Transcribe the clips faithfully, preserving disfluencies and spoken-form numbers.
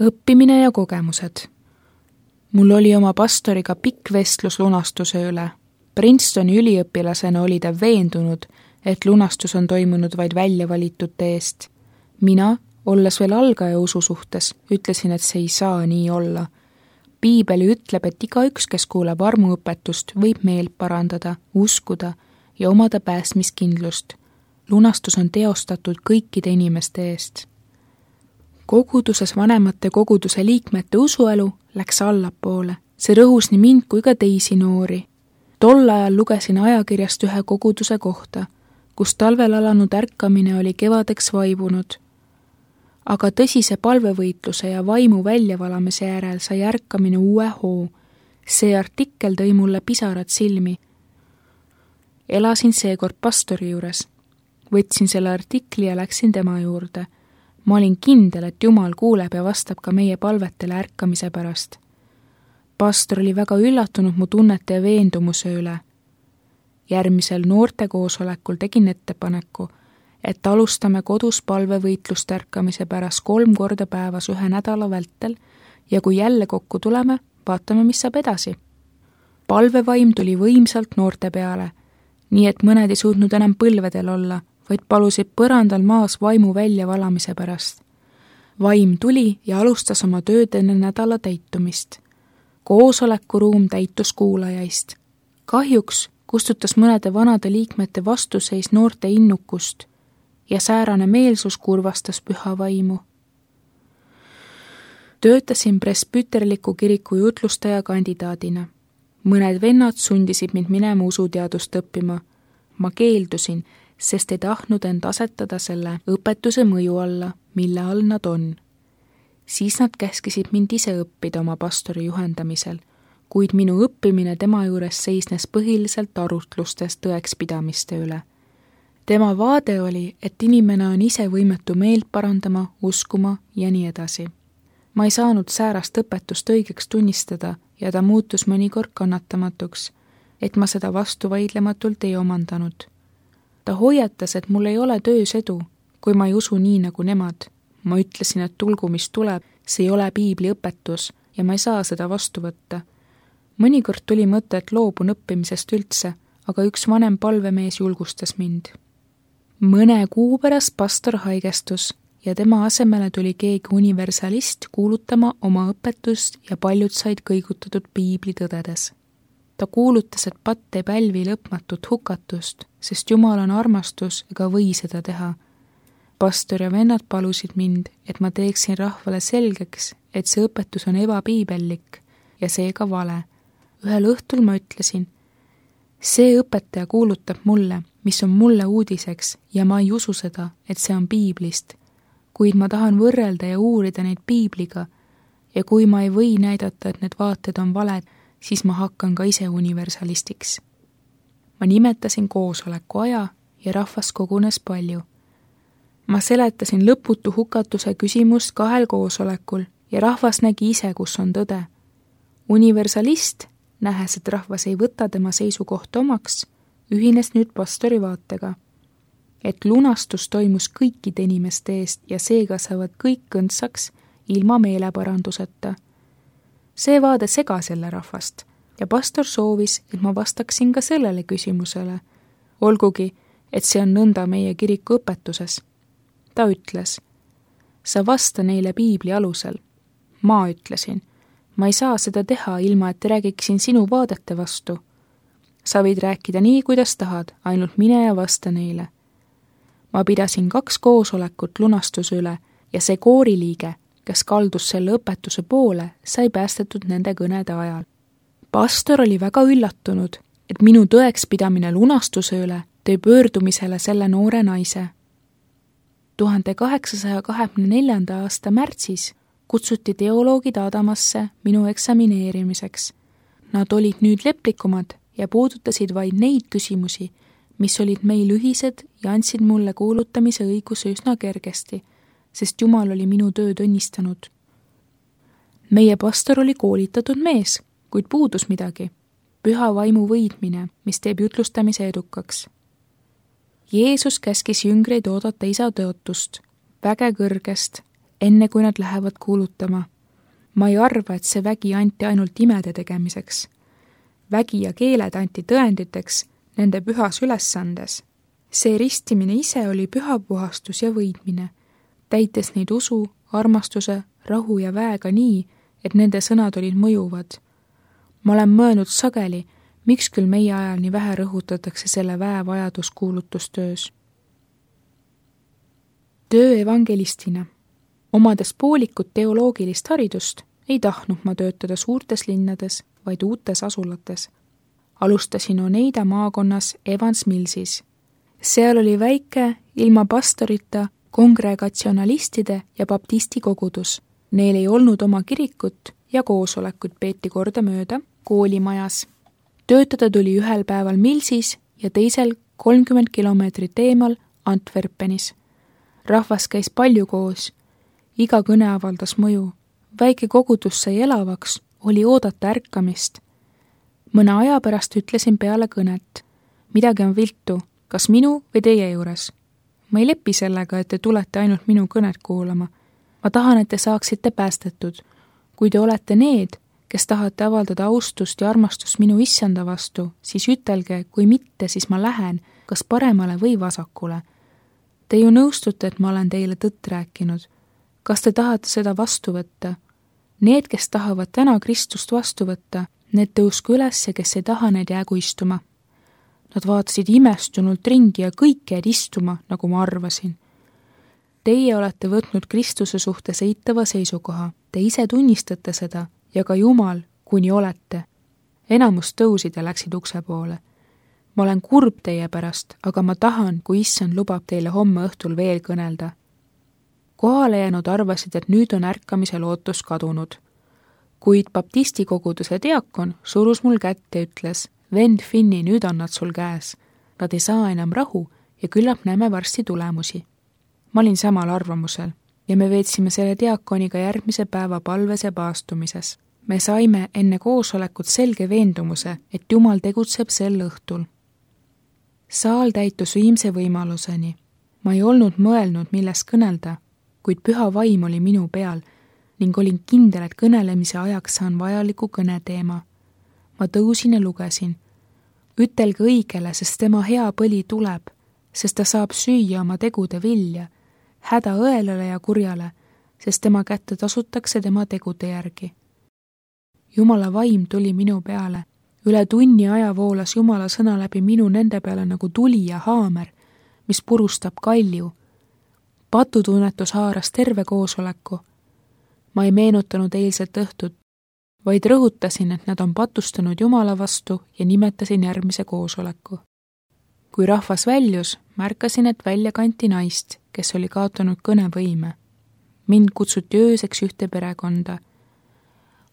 õppimine ja kogemused. Mul oli oma pastoriga pikk vestlus lunastuse üle. Princetoni üliõpilasena oli ta veendunud, et lunastus on toimunud vaid välja valitute eest. Mina, olles veel algaja usu suhtes, ütlesin, et see ei saa nii olla. Piibeli ütleb, et igaüks, kes kuuleb armuõpetust, võib meelt parandada, uskuda ja omada päästmiskindlust. Lunastus on teostatud kõikide inimeste eest. Koguduses vanemate koguduse liikmete usuelu läks allapoole. See rõhus nii mind kui ka teisi noori. Tol ajal lugesin ajakirjast ühe koguduse kohta, kus talvel alanud ärkamine oli kevadeks vaibunud. Aga tõsise palvevõitluse ja vaimu väljavalamise järel sai ärkamine uue hoo. See artikkel tõi mulle pisarad silmi. Elasin seekord pastori juures. Võtsin selle artikli ja läksin tema juurde. Ma olin kindel, et Jumal kuuleb ja vastab ka meie palvetele ärkamise pärast. Pastor oli väga üllatunud mu tunnete ja veendumuse üle. Järgmisel noorte koosolekul tegin ettepaneku, et alustame kodus palvevõitlust ärkamise pärast kolm korda päevas ühe nädala vältel ja kui jälle kokku tuleme, vaatame, mis saab edasi. Palvevaim tuli võimsalt noorte peale, nii et mõned ei suutnud enam põlvedel olla, vaid palusid põrandal maas vaimu väljavalamise pärast. Vaim tuli ja alustas oma tööd enne nädala täitumist. Koosolekuruum täitus kuulajaist. Kahjuks kustutas mõnede vanade liikmete vastuseis noorte innukust ja säärane meelsus kurvastas püha vaimu. Töötasin presbüterliku kiriku jutlustaja kandidaadina. Mõned vennad sundisid mind minema usuteadust õppima. Ma keeldusin, sest ei tahtnud end asetada selle õpetuse mõju alla, mille all nad on. Siis nad käskisid mind ise õppida oma pastori juhendamisel, kuid minu õppimine tema juures seisnes põhiliselt arutlustes tõekspidamiste üle. Tema vaade oli, et inimene on ise võimetu meelt parandama, uskuma ja nii edasi. Ma ei saanud säärast õpetust õigeks tunnistada ja ta muutus mõnikord kannatamatuks, et ma seda vastu vaidlematult ei omandanud. Ta hoiatas, et mul ei ole töös edu, kui ma ei usu nii nagu nemad. Ma ütlesin, et tulgu mis tuleb, see ei ole piibli õpetus ja ma ei saa seda vastu võtta. Mõnikord tuli mõte, et loobun õppimisest üldse, aga üks vanem palvemees julgustas mind. Mõne kuu pärast pastor haigestus ja tema asemele tuli keegi universalist kuulutama oma õpetust ja paljud said kõigutatud piibli tõdedes. Ta kuulutas, et patt ei pälvi lõpmatut hukatust, sest Jumal on armastus ega või seda teha. Pastor ja vennad palusid mind, et ma teeksin rahvale selgeks, et see õpetus on ebapiibellik ja seega vale. Ühel õhtul ma ütlesin, see õpetaja kuulutab mulle, mis on mulle uudiseks ja ma ei usu seda, et see on piiblist, kuid ma tahan võrrelda ja uurida neid piibliga ja kui ma ei või näidata, et need vaated on valed, siis ma hakkan ka ise universalistiks. Ma nimetasin koosoleku aja ja rahvas kogunes palju. Ma seletasin lõputu hukatuse küsimust kahel koosolekul ja rahvas nägi ise, kus on tõde. Universalist, nähes, et rahvas ei võta tema seisukohta omaks, ühines nüüd pastori vaatega, et lunastus toimus kõikide inimeste eest ja seega saavad kõik õndsaks ilma meeleparanduseta. See vaade segas jälle rahvast ja pastor soovis, et ma vastaksin ka sellele küsimusele, olgugi, et see on nõnda meie kiriku õpetuses. Ta ütles, sa vasta neile piibli alusel. Ma ütlesin, ma ei saa seda teha ilma, et räägiksin sinu vaadete vastu. Sa võid rääkida nii, kuidas tahad, ainult mine ja vasta neile. Ma pidasin kaks koosolekut lunastuse üle ja see kooriliige, kes kaldus selle õpetuse poole, sai päästetud nende kõnede ajal. Pastor oli väga üllatunud, et minu tõekspidamine lunastuse üle tõi pöördumisele selle noore naise. tuhande kaheksasaja kahekümne neljanda aasta märtsis kutsuti teoloogid Adamasse minu eksamineerimiseks. Nad olid nüüd leplikumad ja puudutasid vaid neid küsimusi, mis olid meil ühised ja andsid mulle kuulutamise õiguse üsna kergesti, sest Jumal oli minu tööd õnnistanud. Meie pastor oli koolitatud mees, kuid puudus midagi. Püha vaimu võidmine, mis teeb jutlustamise edukaks. Jeesus käskis jüngreid oodata isa tõotust, väge kõrgest, enne kui nad lähevad kuulutama. Ma ei arva, et see vägi anti ainult imede tegemiseks. Vägi ja keeled anti tõenditeks nende pühas ülesandes. See ristimine ise oli pühapuhastus ja võidmine, täites neid usu, armastuse, rahu ja väega nii, et nende sõnad olid mõjuvad. Ma olen mõelnud sageli, miks küll meie ajal nii vähe rõhutatakse selle väe vajadus kuulutustöös. Töö evangelistina. Omades poolikut teoloogilist haridust, ei tahtnud ma töötada suurtes linnades, vaid uutes asulates. Alustasin Oneida maakonnas Evans Millsis. Seal oli väike, ilma pastorita, kongregatsionalistide ja baptisti kogudus. Neil ei olnud oma kirikut ja koosolekut peeti kordamööda koolimajas. Töötada tuli ühel päeval Millsis ja teisel kolmkümmend kilomeetrit eemal Antwerpenis. Rahvas käis palju koos. Iga kõne avaldas mõju. Väike kogudus sai elavaks, oli oodata ärkamist. Mõne aja pärast ütlesin peale kõnet. Midagi on viltu, kas minu või teie juures? Ma ei lepi sellega, et te tulete ainult minu kõnet kuulama. Ma tahan, et te saaksite päästetud. Kui te olete need, kes tahate avaldada austust ja armastust minu issanda vastu, siis ütelge, kui mitte, siis ma lähen, kas paremale või vasakule. Te ju nõustute, et ma olen teile tõtt rääkinud. Kas te tahate seda vastu võtta? Need, kes tahavad täna Kristust vastu võtta, need tõusku üles ja kes ei taha, need jäägu istuma. Nad vaatasid imestunult ringi ja kõik jäid istuma, nagu ma arvasin. Teie olete võtnud Kristuse suhtes eitava seisukoha. Te ise tunnistate seda ja ka Jumal, kuni olete. Enamus tõusid ja läksid ukse poole. Ma olen kurb teie pärast, aga ma tahan, kui issand lubab teile homme õhtul veel kõnelda. Kohale jäänud arvasid, et nüüd on ärkamise lootus kadunud. Kuid baptisti koguduse diakon surus mul kätt ja ütles, vend Finni, nüüd on nad sul käes. Nad ei saa enam rahu ja küllap näeme varsti tulemusi. Ma olin samal arvamusel ja me veetsime selle diakoniga järgmise päeva palves ja paastumises. Me saime enne koosolekut selge veendumuse, et Jumal tegutseb sel õhtul. Saal täitus viimse võimaluseni. Ma ei olnud mõelnud, milles kõnelda, kuid püha vaim oli minu peal ning olin kindel, et kõnelemise ajaks saan vajaliku kõneteema. Ma tõusin ja lugesin. Ütelge õigele, sest tema hea põli tuleb, sest ta saab süüa oma tegude vilja, häda õelale ja kurjale, sest tema kätte tasutakse tema tegude järgi. Jumala vaim tuli minu peale. Üle tunni aja voolas Jumala sõna läbi minu nende peale nagu tuli ja haamer, mis purustab kalju. Patutunnetus haaras terve koosoleku. Ma ei meenutanud eilset õhtut, vaid rõhutasin, et nad on patustanud Jumala vastu ja nimetasin järgmise koosoleku. Kui rahvas väljus, märkasin, et välja kanti naist, kes oli kaotanud kõnevõime. Mind kutsuti ööseks ühte perekonda.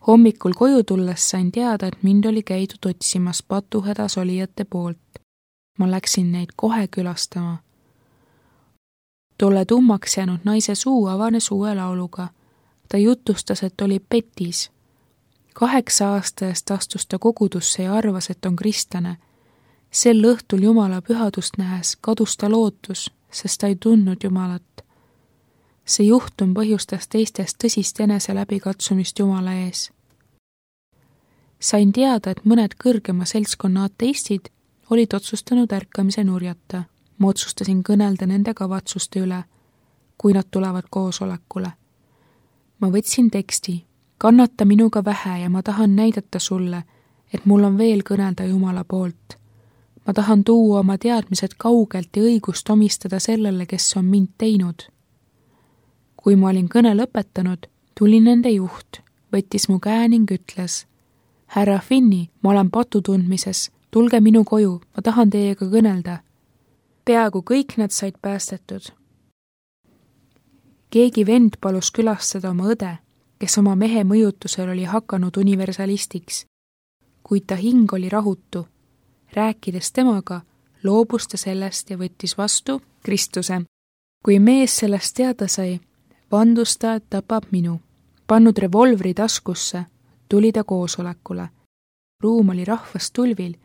Hommikul koju tulles sain teada, et mind oli käidud otsimas patuhädas olijate poolt. Ma läksin neid kohe külastama. Tolle tummaks jäänud naise suu avanes uue lauluga. Ta jutustas, et oli petis. Kaheksa aasta eest astus ta kogudusse ja arvas, et on kristlane. Sel õhtul Jumala pühadust nähes kadus ta lootus, sest ta ei tundnud Jumalat. See juhtum põhjustas teistest tõsist enese läbikatsumist Jumala ees. Sain teada, et mõned kõrgema seltskonna ateistid olid otsustanud ärkamise nurjata. Ma otsustasin kõnelda nende kavatsuste üle, kui nad tulevad koosolekule. Ma võtsin teksti, kannata minuga vähe ja ma tahan näidata sulle, et mul on veel kõnelda Jumala poolt. Ma tahan tuua oma teadmised kaugelt ja õigust omistada sellele, kes on mind teinud. Kui ma olin kõne lõpetanud, tuli nende juht, võttis mu käe ning ütles, härra Finni, ma olen patutundmises, tulge minu koju, ma tahan teiega kõnelda. Peaaegu kõik nad said päästetud. Keegi vend palus külastada oma õde, kes oma mehe mõjutusel oli hakanud universalistiks, kuid ta hing oli rahutu. Rääkides temaga, loobus ta sellest ja võttis vastu Kristuse. Kui mees sellest teada sai, vandus ta, et tapab minu. Pannud revolvri taskusse, tuli ta koosolekule. Ruum oli rahvast tulvil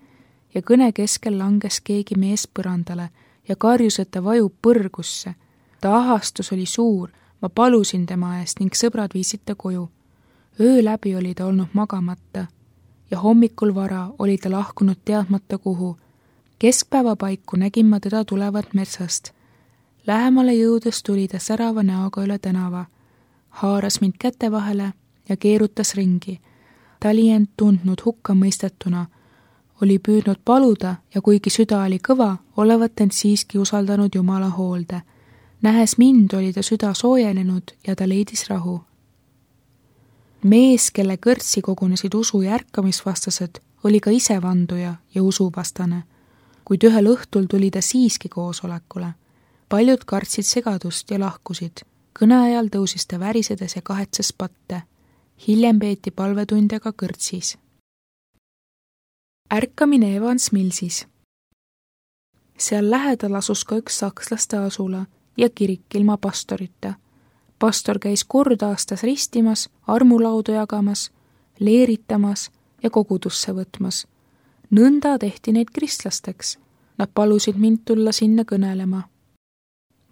ja kõne keskel langes keegi mees põrandale ja karjus, et ta vajub põrgusse. Ta ahastus oli suur, ma palusin tema eest ning sõbrad viisid ta koju. Öö läbi oli ta olnud magamata ja hommikul vara oli ta lahkunud teadmata kuhu. Keskpäeva paiku nägin ma teda tulevat metsast. Lähemale jõudes tuli ta särava näoga üle tänava, haaras mind käte vahele ja keerutas ringi. Ta oli end tundnud hukka mõistetuna, oli püüdnud paluda ja kuigi süda oli kõva, olevat end siiski usaldanud Jumala hoolde. Nähes mind oli ta süda soojenenud ja ta leidis rahu. Mees, kelle kõrtsi kogunesid usu ja ärkamisvastased, oli ka ise vanduja ja usuvastane, kuid ühel õhtul tuli ta siiski koosolekule. Paljud kartsid segadust ja lahkusid. Kõne ajal tõusis ta värisedes ja kahetsas patte. Hiljem peeti palvetunde ka kõrtsis. Ärkamine Evans Millsis. Seal lähedal asus ka üks sakslaste asula ja kirik ilma pastorita. Pastor käis kord aastas ristimas, armulaudu jagamas, leeritamas ja kogudusse võtmas. Nõnda tehti neid kristlasteks. Nad palusid mind tulla sinna kõnelema.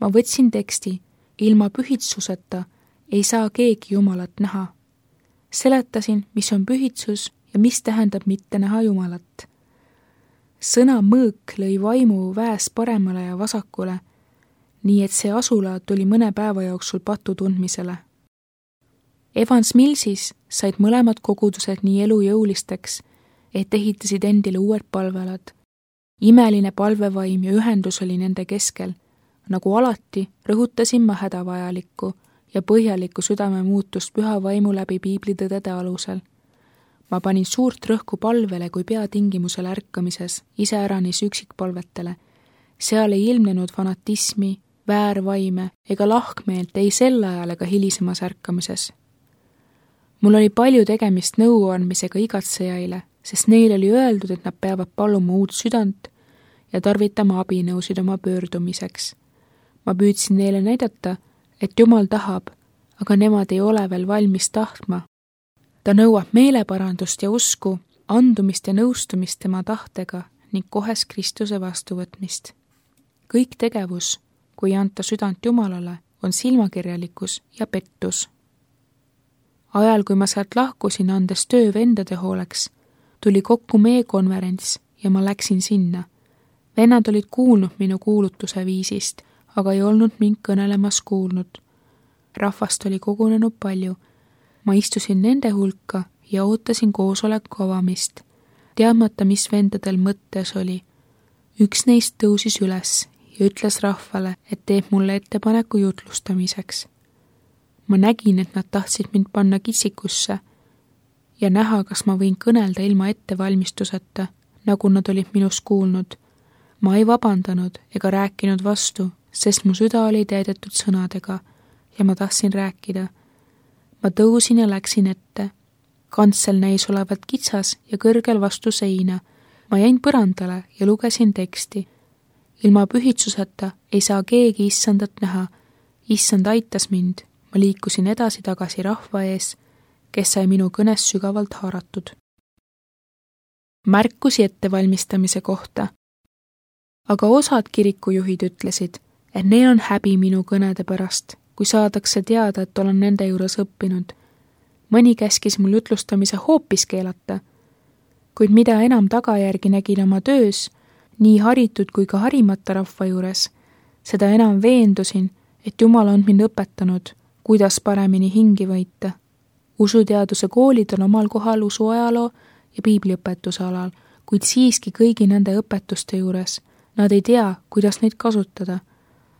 Ma võtsin teksti, ilma pühitsuseta ei saa keegi Jumalat näha. Seletasin, mis on pühitsus ja mis tähendab mitte näha Jumalat. Sõna mõõk lõi vaimu väes paremale ja vasakule, nii et see asula tuli mõne päeva jooksul patu tundmisele. Evans Millsis said mõlemad kogudused nii elujõulisteks, et ehitasid endile uued palvelad. Imeline palvevaim ja ühendus oli nende keskel. Nagu alati rõhutasin ma hädavajalikku ja põhjalikku südame muutust püha vaimu läbi piiblitõdede alusel. Ma panin suurt rõhku palvele kui peatingimusel ärkamises, iseäranis üksikpalvetele. Seal ei ilmnenud fanatismi, väärvaime ega lahkmeelt ei sel ajal ega hilisemas ärkamises. Mul oli palju tegemist nõuandmisega igatsejaile, sest neil oli öeldud, et nad peavad paluma uut südant ja tarvitama abinõusid oma pöördumiseks. Ma püüdsin neile näidata, et Jumal tahab, aga nemad ei ole veel valmis tahtma. Ta nõuab meeleparandust ja usku, andumist ja nõustumist tema tahtega ning kohes Kristuse vastuvõtmist. Kõik tegevus, kui ei anta südant Jumalale, on silmakirjalikkus ja pettus. Ajal, kui ma sealt lahkusin, andes töö vendade hooleks, tuli kokku meie konverents ja ma läksin sinna. Vennad olid kuulnud minu kuulutuse viisist, aga ei olnud mind kõnelemas kuulnud. Rahvast oli kogunenud palju. Ma istusin nende hulka ja ootasin koosoleku avamist, teadmata, mis vendadel mõttes oli. Üks neist tõusis üles ja ütles rahvale, et teeb mulle ettepaneku jutlustamiseks. Ma nägin, et nad tahtsid mind panna kitsikusse ja näha, kas ma võin kõnelda ilma ettevalmistuseta, nagu nad olid minust kuulnud. Ma ei vabandanud ega rääkinud vastu, sest mu süda oli täidetud sõnadega ja ma tahtsin rääkida. Ma tõusin ja läksin ette. Kantsel näis olevat kitsas ja kõrgel vastu seina. Ma jäin põrandale ja lugesin teksti. Ilma pühitsuseta ei saa keegi issandat näha. Issand aitas mind. Ma liikusin edasi tagasi rahva ees, kes sai minu kõnes sügavalt haaratud. Märkusi ettevalmistamise kohta. Aga osad kirikujuhid ütlesid, et neil on häbi minu kõnede pärast, kui saadakse teada, et olen nende juures õppinud. Mõni käskis mul jutlustamise hoopis keelata, kuid mida enam tagajärgi nägin oma töös, nii haritud kui ka harimata rahva juures, seda enam veendusin, et Jumal on mind õpetanud, kuidas paremini hingi võita. Usuteaduse koolid on omal kohal usuajaloo ja piibliõpetuse alal, kuid siiski kõigi nende õpetuste juures nad ei tea, kuidas neid kasutada.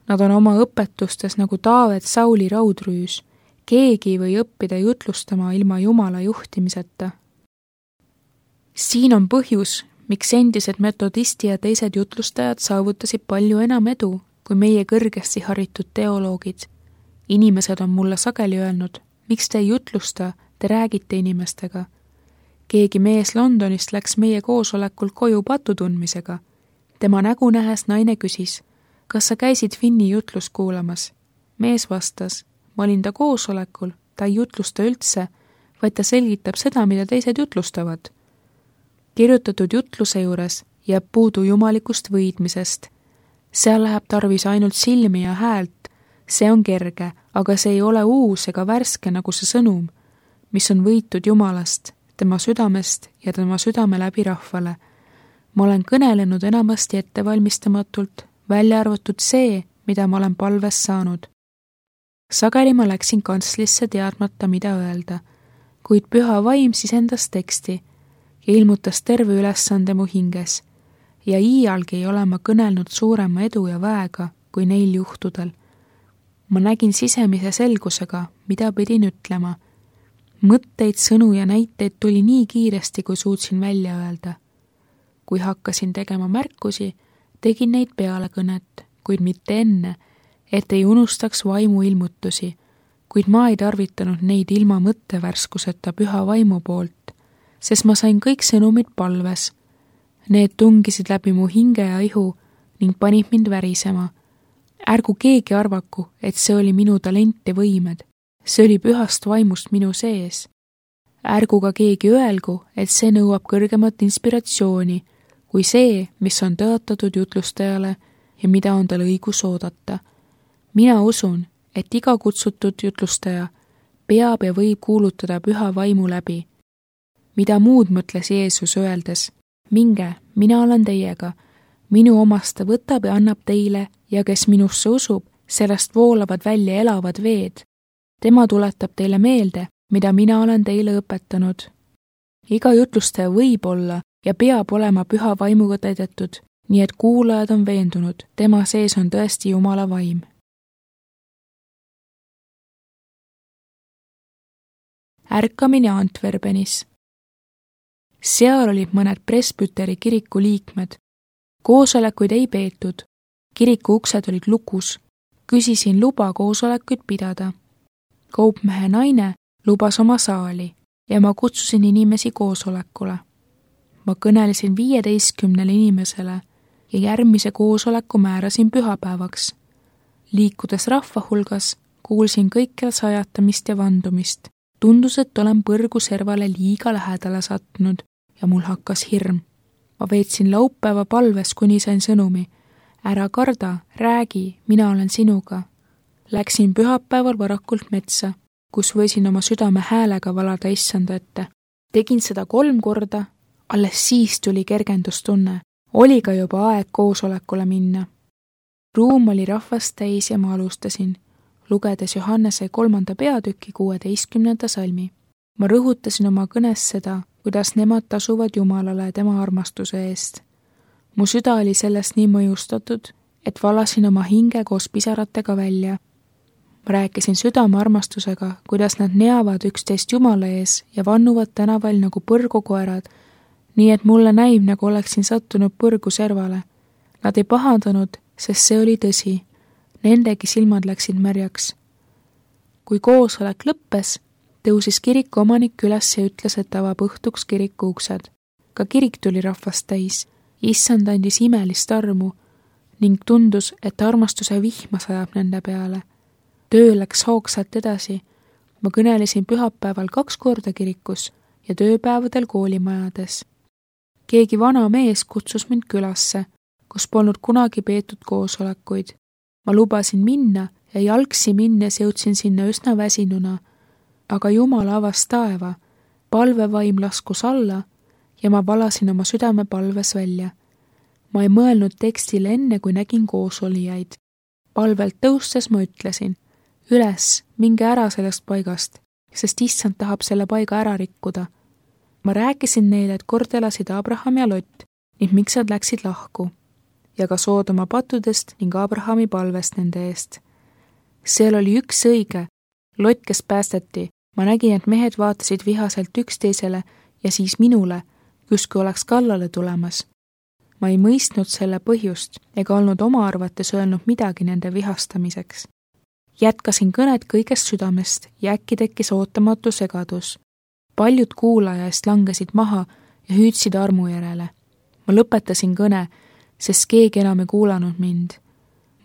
Nad on oma õpetustes nagu Taavet Sauli raudrüüs. Keegi ei või õppida jutlustama ilma Jumala juhtimiseta. Siin on põhjus, miks endised metodisti ja teised jutlustajad saavutasid palju enam edu kui meie kõrgesti haritud teoloogid. Inimesed on mulle sageli öelnud, miks te ei jutlusta, te räägite inimestega. Keegi mees Londonist läks meie koosolekul koju patutundmisega. Tema nägu nähes naine küsis, kas sa käisid Finni jutlust kuulamas? Mees vastas, ma olin ta koosolekul, ta ei jutlusta üldse, vaid ta selgitab seda, mida teised jutlustavad. Kirjutatud jutluse juures jääb puudu jumalikust võidmisest. Seal läheb tarvis ainult silmi ja häält, See on kerge, aga see ei ole uus ega värske nagu see sõnum, mis on võitud Jumalast, tema südamest ja tema südame läbi rahvale. Ma olen kõnelenud enamasti ettevalmistamatult, välja arvatud see, mida ma olen palves saanud. Sageli ma läksin kantslisse teadmata, mida öelda, kuid püha vaim sisendas teksti ja ilmutas terve ülesande mu hinges ja iialgi ei ole ma kõnelnud suurema edu ja väega kui neil juhtudel. Ma nägin sisemise selgusega, mida pidin ütlema. Mõtteid, sõnu ja näiteid tuli nii kiiresti, kui suutsin välja öelda. Kui hakkasin tegema märkusi, tegin neid peale kõnet, kuid mitte enne, et ei unustaks vaimu ilmutusi, kuid ma ei tarvitanud neid ilma mõttevärskuseta püha vaimu poolt, sest ma sain kõik sõnumid palves. Need tungisid läbi mu hinge ja ihu ning panid mind värisema. Ärgu keegi arvaku, et see oli minu talent ja võimed. See oli pühast vaimust minu sees. Ärgu ka keegi öelgu, et see nõuab kõrgemat inspiratsiooni kui see, mis on tõotatud jutlustajale ja mida on tal õigus oodata. Mina usun, et iga kutsutud jutlustaja peab ja võib kuulutada püha vaimu läbi. Mida muud mõtles Jeesus öeldes? Minge, mina olen teiega. Minu omast ta võtab ja annab teile ja kes minusse usub, sellest voolavad välja elavad veed. Tema tuletab teile meelde, mida mina olen teile õpetanud. Iga jutlustaja võib olla ja peab olema püha vaimuga täidetud, nii et kuulajad on veendunud, tema sees on tõesti Jumala vaim. Ärkamine Antwerpenis. Seal olid mõned presbüteri kiriku liikmed. Koosolekuid ei peetud. Kiriku uksed olid lukus. Küsisin luba koosolekuid pidada. Kaupmehe naine lubas oma saali ja ma kutsusin inimesi koosolekule. Ma kõnelesin viieteistkümnele inimesele ja järgmise koosoleku määrasin pühapäevaks. Liikudes rahva hulgas, kuulsin kõikjal sajatamist ja vandumist. Tundus, et olen põrgu servale liiga lähedale sattunud ja mul hakkas hirm. Ma veetsin laupäeva palves, kuni sain sõnumi. Ära karda, räägi, mina olen sinuga. Läksin pühapäeval varakult metsa, kus võisin oma südame häälega valada issanda ette. Tegin seda kolm korda, alles siis tuli kergendustunne. Oli ka juba aeg koosolekule minna. Ruum oli rahvast täis ja ma alustasin, lugedes Johannese kolmanda peatüki kuueteistkümnenda salmi. Ma rõhutasin oma kõnes seda, kuidas nemad tasuvad Jumalale tema armastuse eest. Mu süda oli sellest nii mõjustatud, et valasin oma hinge koos pisaratega välja. Ma rääkisin südame armastusega, kuidas nad neavad üksteist Jumala ees ja vannuvad tänaval nagu põrgukoerad, nii et mulle näib, nagu oleksin sattunud põrgu servale. Nad ei pahandanud, sest see oli tõsi. Nendegi silmad läksid märjaks. Kui koosolek lõppes, tõusis kiriku omanik üles ja ütles, et avab õhtuks kiriku uksed. Ka kirik tuli rahvast täis. Issand andis imelist armu ning tundus, et armastuse vihma sajab nende peale. Töö läks hoogsalt edasi. Ma kõnelesin pühapäeval kaks korda kirikus ja tööpäevadel koolimajades. Keegi vana mees kutsus mind külasse, kus polnud kunagi peetud koosolekuid. Ma lubasin minna ja jalgsi minnes jõudsin sinna üsna väsinuna, aga Jumal avas taeva, palvevaim laskus alla ja ma valasin oma südame palves välja. Ma ei mõelnud tekstile enne, kui nägin koosolijaid. Palvelt tõustes ma ütlesin, üles, minge ära sellest paigast, sest issand tahab selle paiga ära rikkuda. Ma rääkisin neile, et kord elasid Abraham ja Lott ning miks nad läksid lahku ja ka Soodoma patudest ning Abrahami palvest nende eest. Seal oli üks õige, Lott, kes päästeti. Ma nägin, et mehed vaatasid vihaselt üksteisele ja siis minule, justkui oleks kallale tulemas. Ma ei mõistnud selle põhjust ega olnud oma arvates öelnud midagi nende vihastamiseks. Jätkasin kõnet kõigest südamest ja äkki tekkis ootamatu segadus. Paljud kuulaja eest langesid maha ja hüüdsid armu järele. Ma lõpetasin kõne, sest keegi enam ei kuulanud mind.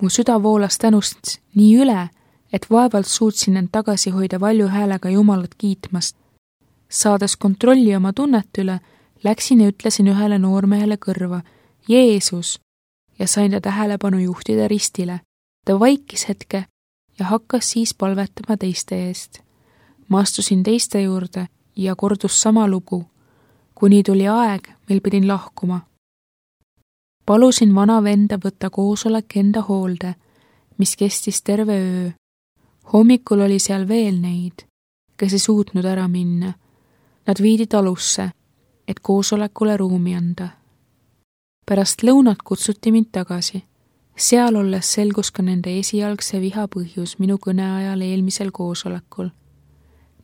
Mu süda voolas tänust nii üle, et vaevalt suutsin end tagasi hoida valju häälega Jumalat kiitmast. Saades kontrolli oma tunnet üle, läksin ja ütlesin ühele noormehele kõrva, Jeesus, ja sain ta tähelepanu juhtida ristile. Ta vaikis hetke ja hakkas siis palvetama teiste eest. Ma astusin teiste juurde ja kordus sama lugu, kuni tuli aeg, mil pidin lahkuma. Palusin vana venda võtta koosolek enda hoolde, mis kestis terve öö. Hommikul oli seal veel neid, kes ei suutnud ära minna. Nad viidi talusse, et koosolekule ruumi anda. Pärast lõunat kutsuti mind tagasi. Seal olles selgus ka nende esialgse viha põhjus minu kõne ajal eelmisel koosolekul.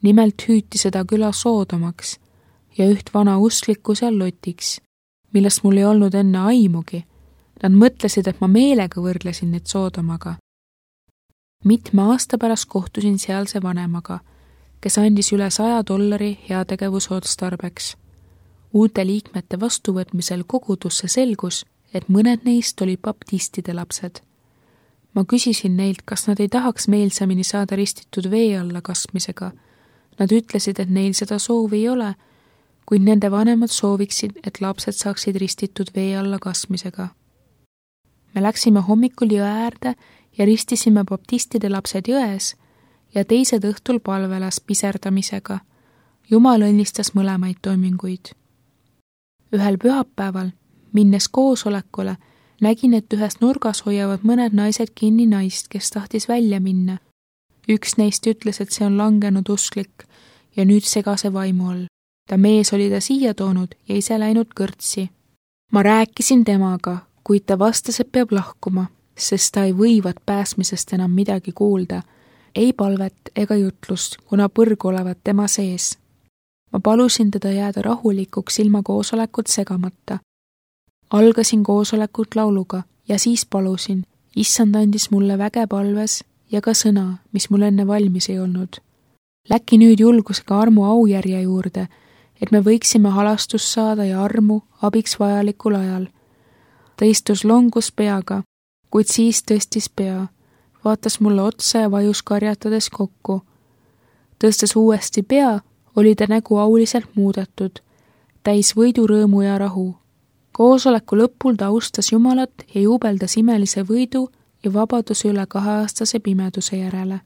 Nimelt hüüti seda küla Soodomaks ja üht vana usklikku seal lotiks, millest mul ei olnud enne aimugi. Nad mõtlesid, et ma meelega võrdlesin neid Soodomaga. Mitme aasta pärast kohtusin sealse vanemaga, kes andis üle saja dollari heategevusotstarbeks. Uute liikmete vastuvõtmisel kogudusse selgus, et mõned neist olid baptistide lapsed. Ma küsisin neilt, kas nad ei tahaks meelsamini saada ristitud vee alla kasmisega. Nad ütlesid, et neil seda soovi ei ole, kuid nende vanemad sooviksid, et lapsed saaksid ristitud vee alla kasmisega. Me läksime hommikul jõe äärde ja ristisime baptistide lapsed jões ja teised õhtul palvelas piserdamisega. Jumal õnnistas mõlemaid toiminguid. Ühel pühapäeval, minnes koosolekule, nägin, et ühes nurgas hoiavad mõned naised kinni naist, kes tahtis välja minna. Üks neist ütles, et see on langenud usklik ja nüüd segase vaimu all. Ta mees oli ta siia toonud ja ise läinud kõrtsi. Ma rääkisin temaga, kuid ta vastas, et peab lahkuma, sest ta ei võivat pääsmisest enam midagi kuulda, ei palvet ega jutlust, kuna põrg olevat tema sees. Ma palusin teda jääda rahulikuks ilma koosolekut segamata. Algasin koosolekut lauluga ja siis palusin, issand andis mulle väge palves ja ka sõna, mis mul enne valmis ei olnud. Läki nüüd julgusega armu aujärje juurde, et me võiksime halastust saada ja armu abiks vajalikul ajal. Ta istus longus peaga, kuid siis tõstis pea, vaatas mulle otsa ja vajus karjatades kokku. Tõstes uuesti pea, oli ta nägu auliselt muudetud, täis võidurõõmu ja rahu. Koosoleku lõpul ta austas Jumalat ja jubeldas imelise võidu ja vabaduse üle kaheaastase pimeduse järele.